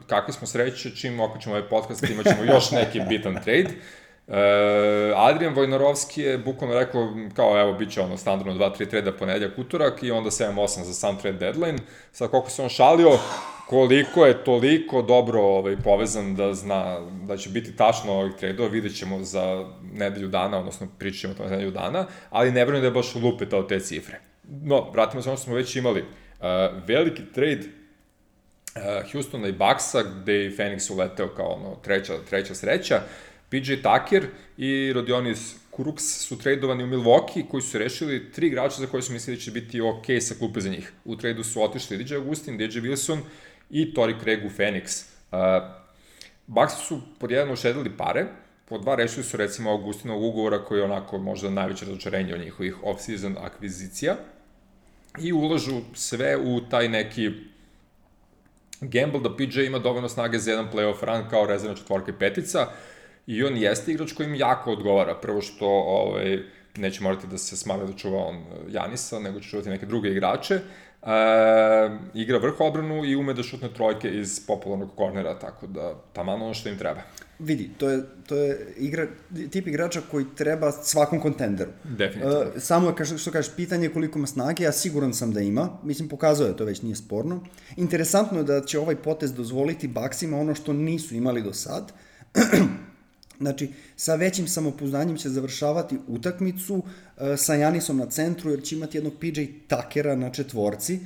S2: Kakve smo sreće, čim okačemo ovaj podcast, imat ćemo još neki bitan trade. Adrian Vojnarovski je bukvalno rekao kao evo bit će standardno 2-3 treda ponedeljak, utorak i onda 7-8 za sam trade deadline. Sad koliko se on šalio, koliko je toliko dobro povezan da zna da će biti tačno ovih tradova, vidjet ćemo za nedelju dana, odnosno pričat ćemo to na nedelju dana, ali ne verujem da je baš lupetao te cifre. No, vratimo se ono što smo već imali. Veliki trade Houstona i Bucksa, gde je Phoenix uleteo kao treća sreća. PJ Tucker i Rodionis Kuruks su tradovani u Milwaukee, koji su rešili 3 igrača za koje su mislili da će biti ok sa klupe za njih. U tradu su otišli DJ Augustin, DJ Wilson i Torrey Craig u Phoenix. Bucks su pod jedan ušedili pare, pod 2 rešili su recimo Augustinovog ugovora koji je onako možda najveće razočarenje od njihovih off-season akvizicija i ulažu sve u taj neki gamble da PJ ima dovoljno snage za jedan playoff run kao rezervna četvorka i petica. I on jeste igrač koji im jako odgovara. Prvo što neće morati da se smave da čuva on Janisa, nego će čuvati neke druge igrače. Igra vrh odbranu i ume da šutne trojke iz popularnog kornera, tako da taman ono što im treba.
S1: Vidi, to je tip igrača koji treba svakom kontenderu.
S2: Definitivno.
S1: Samo je, što kažeš, pitanje koliko ima snage, ja siguran sam da ima. Mislim, pokazao je, to već nije sporno. Interesantno je da će ovaj potez dozvoliti Bucksima ono što nisu imali do sad. Znači, sa većim samopouzdanjem će završavati utakmicu sa Janisom na centru, jer će imati jednog PJ Tuckera na četvorci.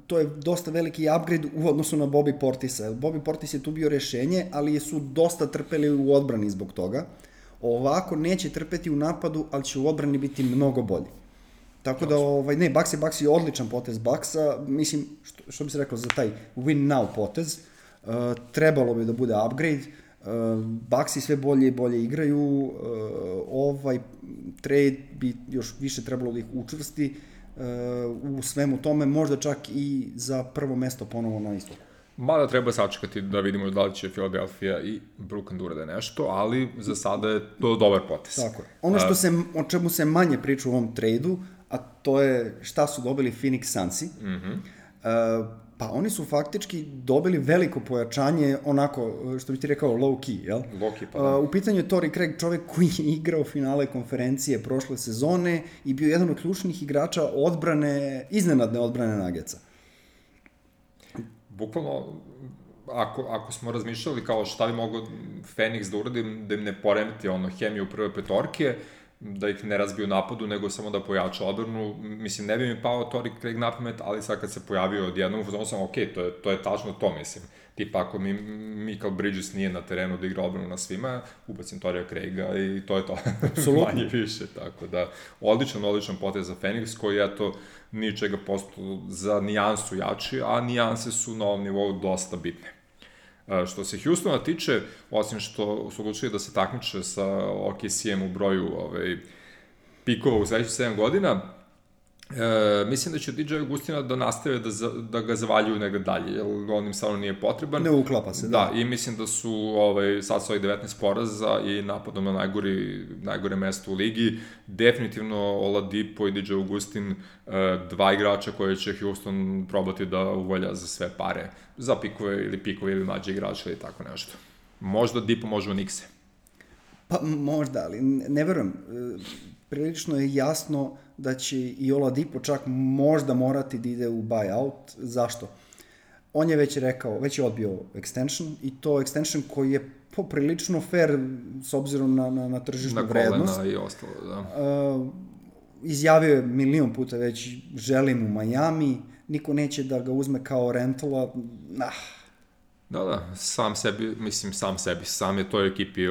S1: To je dosta veliki upgrade u odnosu na Bobby Portisa. Bobby Portis je tu bio rešenje, ali su dosta trpeli u odbrani zbog toga. Ovako neće trpeti u napadu, ali će u odbrani biti mnogo bolji. Tako da, Bucks je odličan potez Bucksa. Mislim, što bi se rekao za taj win now potez, trebalo bi da bude upgrade. Bucksi sve bolje i bolje igraju, ovaj trade bi još više trebalo da ih učvrsti u svemu tome, možda čak i za prvo mesto ponovo na istoku.
S2: Mada treba sačekati da vidimo da li će Philadelphia i Brooklyn da urade nešto, ali za sada je to dobar potez.
S1: Tako je. Ono o čemu se manje priča u ovom tradu, a to je šta su dobili Phoenix Sunsi. Pa oni su faktički dobili veliko pojačanje, onako, što bi ti rekao, low key, jel?
S2: Low key, pa da.
S1: U pitanju je Torrey Craig, čovek koji je igrao finale konferencije prošle sezone i bio jedan od ključnih igrača iznenadne odbrane Nuggetsa.
S2: Bukvalno, ako smo razmišljali kao šta bi mogo Phoenix da uradi, da im ne poremeti hemiju prve petorke, da ih ne razbiju napadu, nego samo da pojača odbranu. Mislim, ne bi mi pao Torrey Craig na pamet, ali sad kad se pojavio odjednom, ono sam, ok, to je tačno to, mislim. Tipa, ako Michael Bridges nije na terenu da igra odbranu na svima, ubacim Torreya Craiga i to je to. Manje više, tako da. Odličan potez za Phoenix, koji, eto, ničega postao za nijansu jači, a nijanse su na ovom nivou dosta bitne. Što se Houstona tiče, osim što su odlučili da se takmiče sa OKC-em u broju pikova u sledećih 7 godina, mislim da će DJ Augustina da nastave da ga zavaljuju negde dalje, jer on im stvarno nije potreban.
S1: Ne uklapa se,
S2: da. I mislim da su sad sa ovih 19 poraza i napadom na najgore mesto u ligi, definitivno Oladipo i DJ Augustin, dva igrača koje će Houston probati da uvolja za sve pare, za pikove ili mlađe igrače ili tako nešto. Možda Dipo, možda Nikse.
S1: Pa možda, ali ne verujem. Prilično je jasno da će i Oladipo čak možda morati da ide u buyout. Zašto? On je već rekao, već je odbio extension i to extension koji je poprilično fair s obzirom na tržišnu vrednost.
S2: Na kolena i ostalo, da.
S1: Izjavio je milion puta već, želim u Miami, niko neće da ga uzme kao rentala.
S2: Da, sam je toj ekipi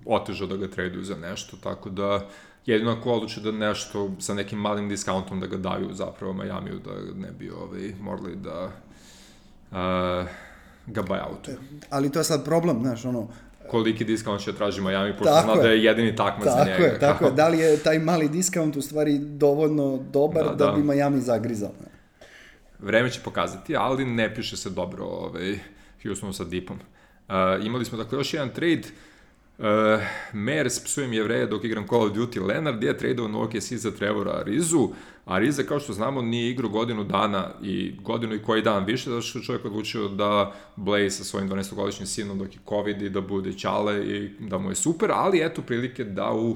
S2: otežao da ga traduju za nešto, tako da jedino ako odluči da nešto sa nekim malim discountom da ga daju zapravo Majamiju, da ne bi morali da ga buyoutuju.
S1: Ali to je sad problem,
S2: koliki discount će traži Miami, pošto zna da je jedini takmac za njega.
S1: Tako je, da li je taj mali discount u stvari dovoljno dobar da bi Miami zagrizao?
S2: Vreme će pokazati, ali ne piše se dobro Houstonu sa Dipom. Imali smo dakle još jedan trade, Mers, psujem Jevreje dok igram Call of Duty, Leonard je tradeovan u OKC za Trevora Arizu. Ariza, kao što znamo, nije igrao godinu dana i godinu i koji dan više, zato što čovjek odlučio da Blaze sa svojim 12-godišnjim sinom dok je COVID i da bude ćale i da mu je super, ali eto prilike da u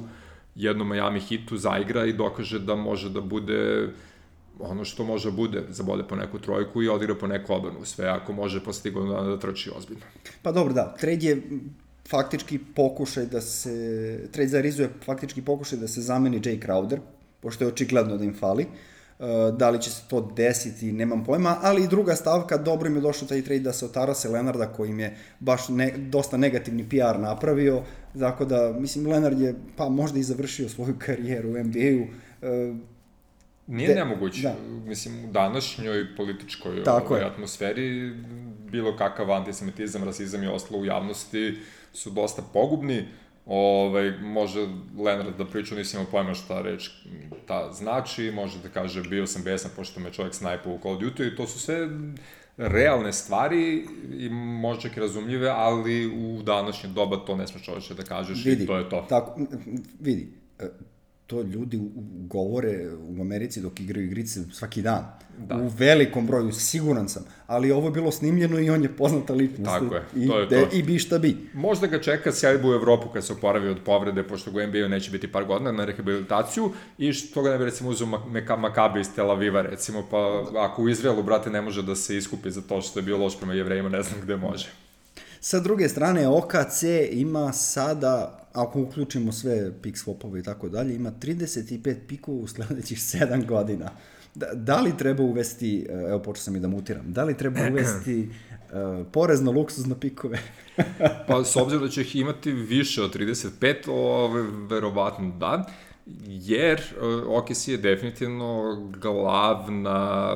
S2: jednom Miami hitu zaigra i dokaže da može da bude ono što može bude, zabode po neku trojku i odigra po neku odbranu, sve ako može posle godinu dana da trči ozbiljno.
S1: Pa dobro, da, trade je faktički pokušaj trade za Arizu je faktički pokušaj da se zameni Jay Crowder, pošto je očigledno da im fali. Da li će se to desiti, nemam pojma, ali i druga stavka, dobro im je došao taj trade da se otarase Leonarda, koji im je baš dosta negativni PR napravio, tako da, mislim, Leonard je pa možda i završio svoju karijeru u NBA-u.
S2: Nije nemoguće, mislim, u današnjoj političkoj atmosferi bilo kakav antisemitizam, rasizam i ostalo u javnosti su dosta pogubni. Može Leonard da priča, nisam imao pojma šta reč ta znači, može da kaže bio sam besan pošto me čovjek snajpao u Call of Duty i to su sve realne stvari i možda čak i razumljive, ali u današnje doba to ne smeš čovječe da kažeš i to je to.
S1: Vidi, to ljudi govore u Americi dok igraju igrice svaki dan. Da. U velikom broju, siguran sam. Ali ovo je bilo snimljeno i on je poznata ličnost.
S2: Tako je, to je to.
S1: I bi šta bi.
S2: Možda ga čeka sjajbu u Evropu kad se oporavi od povrede, pošto ga NBA neće biti par godina na rehabilitaciju i što ga ne bi recimo uzeo Makabi iz Tel Aviva recimo, pa ako u Izraelu, brate, ne može da se iskupi za to što je bio loš prema Jevrejima, ne znam gde može.
S1: Sa druge strane, OKC ima sada, ako uključimo sve pick swapove i tako dalje, ima 35 pikova u sledećih 7 godina. Da li treba uvesti, evo počeo sam i da mutiram, da li treba uvesti porez na luksuzne pikove?
S2: Pa s obzirom da će ih imati više od 35, verovatno da, jer OKC je definitivno glavna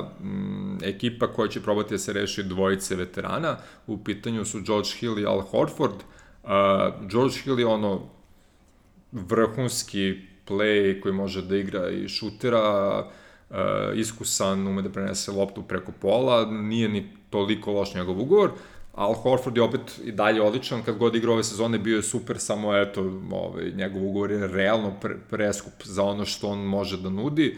S2: ekipa koja će probati da se reši dvojice veterana. U pitanju su George Hill i Al Horford. George Hill je vrhunski play koji može da igra i šutera, iskusan, ume da prenese loptu preko pola, nije ni toliko loš njegov ugovor. Al Horford je opet i dalje odličan, kad god igra ove sezone bio je super, samo njegov ugovor je realno preskup za ono što on može da nudi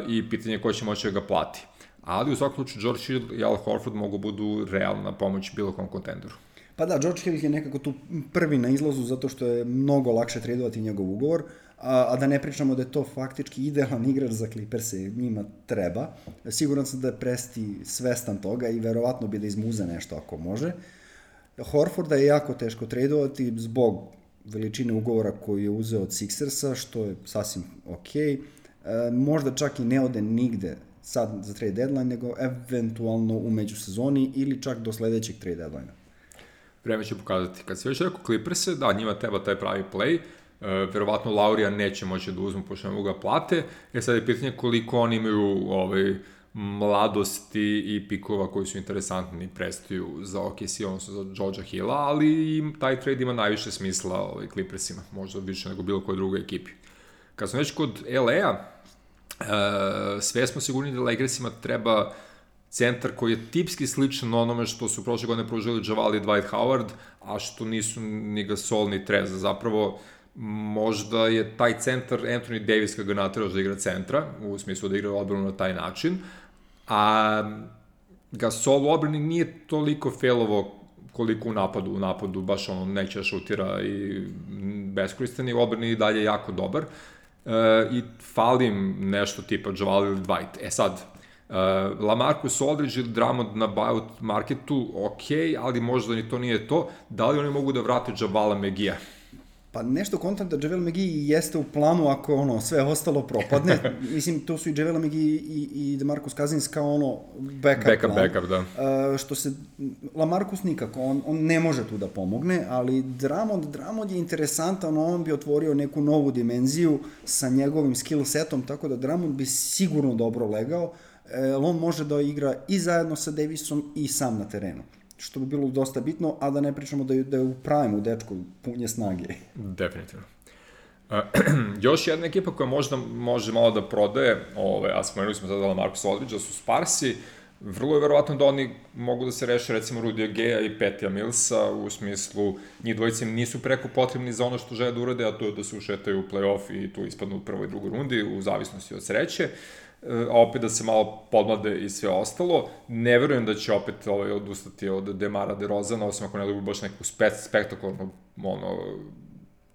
S2: i pitanje je ko će moći da ga plati. Ali u svakom slučaju George Hill i Al Horford mogu budu realna pomoć bilo kom kontenderu.
S1: Pa da, George Hill je nekako tu prvi na izlazu zato što je mnogo lakše tradovati njegov ugovor, a da ne pričamo da je to faktički idealan igrač za Clippers-e, njima treba. Siguran sam da je Presti svestan toga i verovatno bi da izmuze nešto ako može. Horforda je jako teško tradovati zbog veličine ugovora koju je uzeo od Sixersa, što je sasvim okej. Možda čak i ne ode nigde sad za trade deadline, nego eventualno u međusezoni ili čak do sledećeg trade deadline.
S2: Vreme će pokazati. Kad si već rekao Clippers-e, da, njima treba taj pravi play, verovatno Laurija neće moći da uzmu pošto ne mogu ga plate, sad je pitanje koliko oni imaju mladosti i pikova koji su interesantni prestaju za OKC, odnosno za Georgea Hilla, ali taj trade ima najviše smisla Clippersima, možda više nego bilo koje drugoj ekipi. Kad smo već kod LA-a, sve smo sigurni da Lakersima treba centar koji je tipski sličan onome što su prošle godine pružili Javale i Dwight Howard, a što nisu ni Gasol ni Treza. Zapravo, možda je taj centar Anthony Davis kad ga nateraš da igra centra, u smislu da igra odbranu na taj način, a Gasol u odbrani nije toliko failovo koliko u napadu baš neće da šutira i beskoristan, i u odbrani i dalje jako dobar. I falim nešto tipa Javale ili Dwight. Sad, LaMarcus Aldridge ili Drummond na buyout marketu, ali možda ni to nije to. Da li oni mogu da vrate Javala McGee-a?
S1: Pa nešto kontam da Javel McGee jeste u planu ako sve ostalo propadne. Mislim, to su i Javel McGee i DeMarcus Cousins kao backup,
S2: da.
S1: Što se, LaMarcus nikako, on ne može tu da pomogne, ali Drummond je interesantan, on bi otvorio neku novu dimenziju sa njegovim skill setom, tako da Drummond bi sigurno dobro legao. On može da igra i zajedno sa Davisom i sam na terenu, što bi bilo dosta bitno, a da ne pričamo da je u prime-u dečko punje snage.
S2: Definitivno. Još jedna ekipa koja možda može malo da prodaje, a spomenuli smo sada LaMarcus Aldridge, su Sparsi. Vrlo je verovatno da oni mogu da se reše recimo Rudy Gaya i Patija Millsa, u smislu njih dvojice nisu preko potrebni za ono što žele da urade, a to je da se ušetaju u play-off i tu ispadnu u prvoj i drugoj rundi, u zavisnosti od sreće, a opet da se malo podmlade i sve ostalo. Ne verujem da će opet odustati od Demara DeRozana, osim ako ne dobu baš neku spektakularnu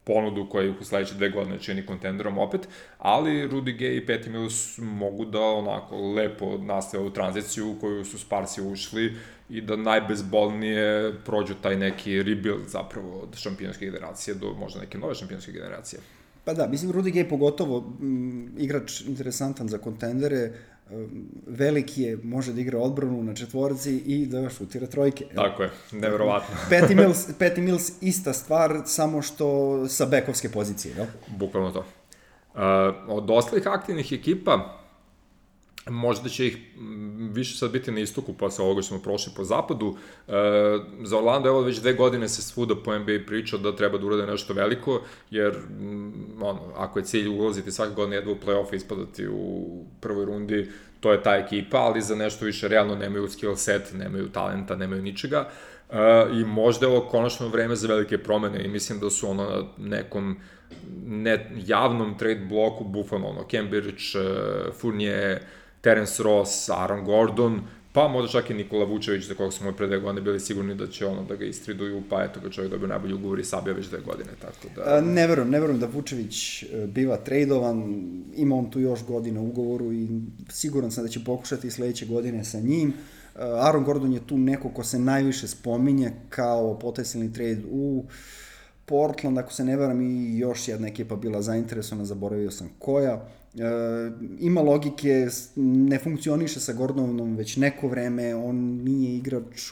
S2: ponudu koja ih u sledeće 2 godine čini kontenderom opet, ali Rudy Gay i Patty Mills mogu da onako lepo nastave ovu tranziciju u koju su Sparsi ušli i da najbezbolnije prođu taj neki rebuild zapravo od šampionske generacije do možda neke nove šampionske generacije.
S1: Pa da, mislim, Rudy Gay pogotovo igrač interesantan za kontendere, veliki je, može da igra odbranu na četvorci i da šutira trojke.
S2: Tako je, neverovatno.
S1: Patty Mills ista stvar, samo što sa bekovske pozicije, jel?
S2: Bukvalno to. Od ostalih aktivnih ekipa, možda će ih više sad biti na istoku posle ovoga što smo prošli po zapadu. Za Orlando evo već 2 godine se svuda po NBA priča da treba da urade nešto veliko, jer ako je cilj ulaziti svake godine jedva u play-off i ispadati u prvoj rundi, to je ta ekipa, ali za nešto više realno nemaju skill set, nemaju talenta, nemaju ničega. I možda je ovo konačno vreme za velike promene i mislim da su na nekom javnom trade bloku bufano, Cambridge, Fournier, Terence Ross, Aaron Gordon, pa možda čak i Nikola Vučević, za kojeg smo pre 2 godine bili sigurni da će da ga istriduju, pa eto ga čovjek dobio najbolji ugovor i sabio već 2 godine, tako da...
S1: Ne verujem da Vučević biva tradovan, ima on tu još godina u ugovoru i siguran sam da će pokušati sledeće godine sa njim. Aaron Gordon je tu neko ko se najviše spominje kao potencijalni trade u Portland, ako se ne varam, i još jedna ekipa bila zainteresovana, zaboravio sam koja. Ima logike, ne funkcioniše sa Gordonom već neko vreme, on nije igrač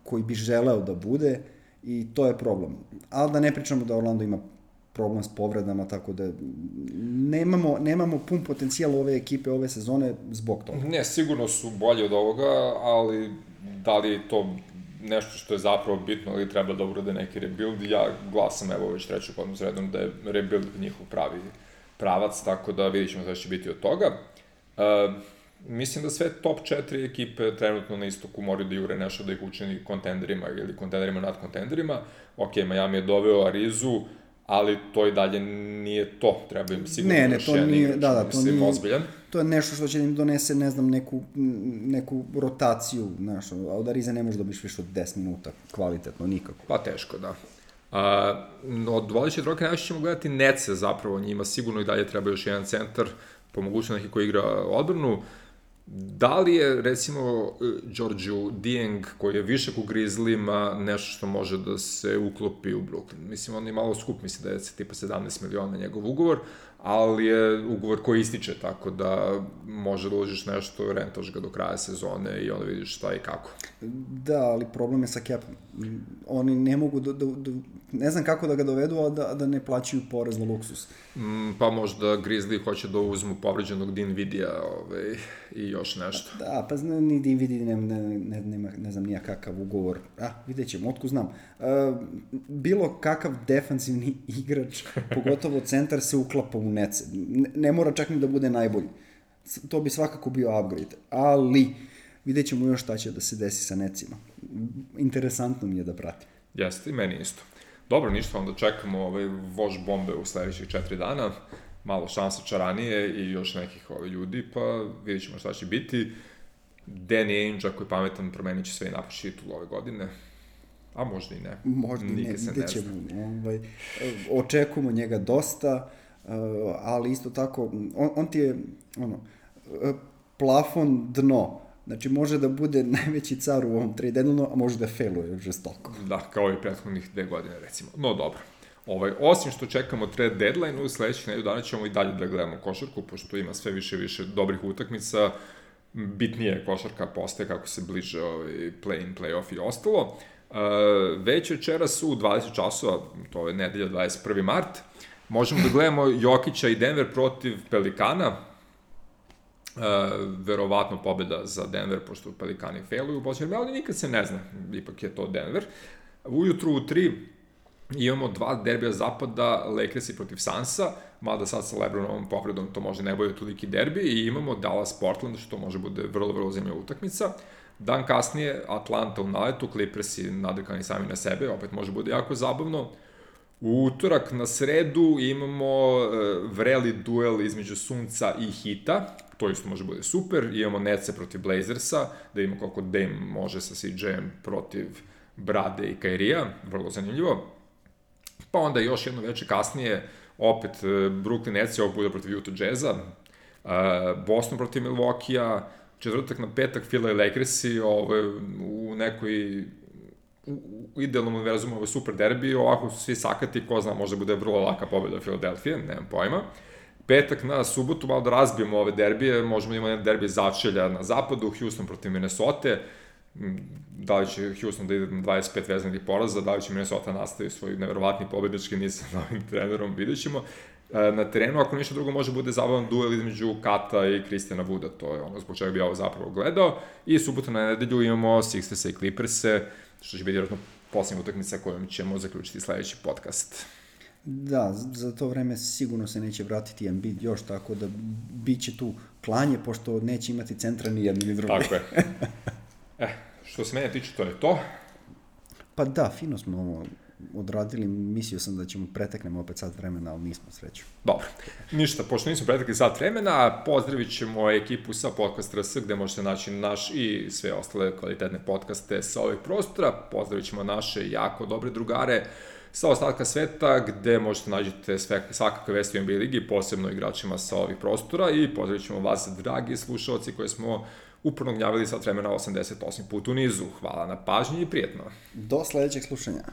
S1: koji bi želeo da bude i to je problem. Ali da ne pričamo da Orlando ima problem s povredama, tako da nemamo pun potencijal ove ekipe ove sezone zbog toga.
S2: Ne, sigurno su bolji od ovoga, ali da li je to nešto što je zapravo bitno, ali treba da urade neki rebuild. Ja glasam, evo, već treću godinu sredom da je rebuild njihov pravi pravac, tako da vidjet ćemo šta će biti od toga. Mislim da sve top 4 ekipe trenutno na istoku moraju da jure nešto da ih učini kontenderima ili kontenderima nad kontenderima. Ok, Miami je doveo Arizu, ali to i dalje nije to. Treba im sigurno još jedan igrač, mislim, ozbiljan.
S1: To je nešto što će im donese, ne znam, neku rotaciju, znaš, a od Arize ne možeš dobiš više od 10 minuta, kvalitetno, nikako.
S2: Pa teško, da. Od vodeće trojke najviše ćemo gledati Nece, zapravo njima sigurno i dalje treba još jedan centar, po mogućnosti neki koji igra odbranu. Da li je, recimo, Georgiou Dieng, koji je višak u Grizzlyma, nešto što može da se uklopi u Brooklyn? Mislim, on je malo skup, mislim da je tipa 17 miliona njegov ugovor, ali je ugovor koji ističe, tako da može da uložiš nešto, rentaš ga do kraja sezone i onda vidiš šta i kako.
S1: Da, ali problem je sa capom. Oni ne mogu ne znam kako da ga dovedu, a da ne plaćaju porez na luksus.
S2: Pa možda Grizzly hoće da uzmu povređenog Dinvidija i još nešto.
S1: Da, pa ni Dinvidi nema, ne znam nija kakav ugovor. Vidjet ćemo, otko znam. Bilo kakav defanzivni igrač, pogotovo centar, se uklapa u Nece. Ne mora čak ni da bude najbolji. To bi svakako bio upgrade. Ali vidjet ćemo još šta će da se desi sa Necima. Interesantno mi je da pratim.
S2: Jeste, i meni isto. Dobro, ništa, onda čekamo vož bombe u sledećih 4 dana, malo šansa čaranije i još nekih ljudi, pa vidjet ćemo šta će biti. Danny Ainge, ako je pametan, promenit će sve i napuši titul ove godine, a možda i ne.
S1: Možda i ne, vidjet ćemo. Očekujemo njega dosta, ali isto tako, on ti je plafon dno. Znači, može da bude najveći car u ovom trade deadline, a može da failuje žestoko.
S2: Da, kao i prethodnih 2 godine, recimo. No, dobro. Osim što čekamo trade deadline, u sledećih nedelju dana ćemo i dalje da gledamo košarku, pošto ima sve više dobrih utakmica. Bitnije košarka postaje kako se bliže play-in, play-off i ostalo. Već večeras u 20 časova, to je nedelja 21. mart, možemo da gledamo Jokića i Denver protiv Pelikana. Verovatno pobjeda za Denver, pošto Pelikani failuju u posljednjem, ali nikad se ne zna, ipak je to Denver. Ujutru u 3 imamo 2 derbija zapada, Lakersi protiv Sansa, mada sad sa LeBronovom povredom to možda ne bude toliki derbi, i imamo Dallas-Portland, što može bude vrlo zanimljiva utakmica. Dan kasnije Atlanta u naletu, Clippersi nadrkani sami na sebe, opet može bude jako zabavno. U utorak na sredu imamo vreli duel između Sunca i Hita, to isto može bude super. Imamo Nece protiv Blazersa, da imamo koliko Dame može sa CJ-em protiv Brade i Kairija, vrlo zanimljivo. Pa onda još jedno veče kasnije, opet Brooklyn Nets ovog bude protiv Utah Jazza, Boston protiv Milwaukee-a, četvrtak na petak Philly i Lakersi, u nekoj u idealnom univerzumu ovo je super derbi, ovako su svi sakati, ko zna, možda bude vrlo laka pobjeda Philadelphia, nemam pojma. Petak na subotu, malo da razbijemo ove derbije, možemo da imamo jedan derbi začelja na zapadu, Houston protiv Minnesota, da li će Houston da ide na 25 vezanih poraza, da li će Minnesota nastaviti svoj neverovatni pobednički niz sa novim trenerom, vidjet ćemo. Na terenu, ako ništa drugo, može bude zabavan duel između Kata i Christiana Wooda, to je ono zbog čega bi ja ovo zapravo gledao. I subotu na nedelju imamo Sixerse i Clipperse, što će biti vjerojatno posljednja utakmica kojom ćemo zaključiti sledeći podcast.
S1: Da, za to vreme sigurno se neće vratiti Embiid još, tako da bit će tu klanje, pošto neće imati centra ni jedni ni drugi.
S2: Tako je. Što se mene tiče, to je to.
S1: Pa da, fino smo ovo odradili, mislio sam da ćemo preteknemo opet sat vremena, ali nismo, sreću.
S2: Dobro, ništa, pošto nismo pretekli sat vremena, pozdravit ćemo ekipu sa Podcast RS, gde možete naći naš i sve ostale kvalitetne podcaste sa ovih prostora. Pozdravit ćemo naše jako dobre drugare sa ostatka sveta, gde možete nađete svakakve vesti u NBA ligi, posebno igračima sa ovih prostora, i pozdravit ćemo vas, dragi slušalci, koji smo uporno gnjavili sat vremena 88 puta u nizu. Hvala na pažnji i prijetno.
S1: Do sledećeg slušanja.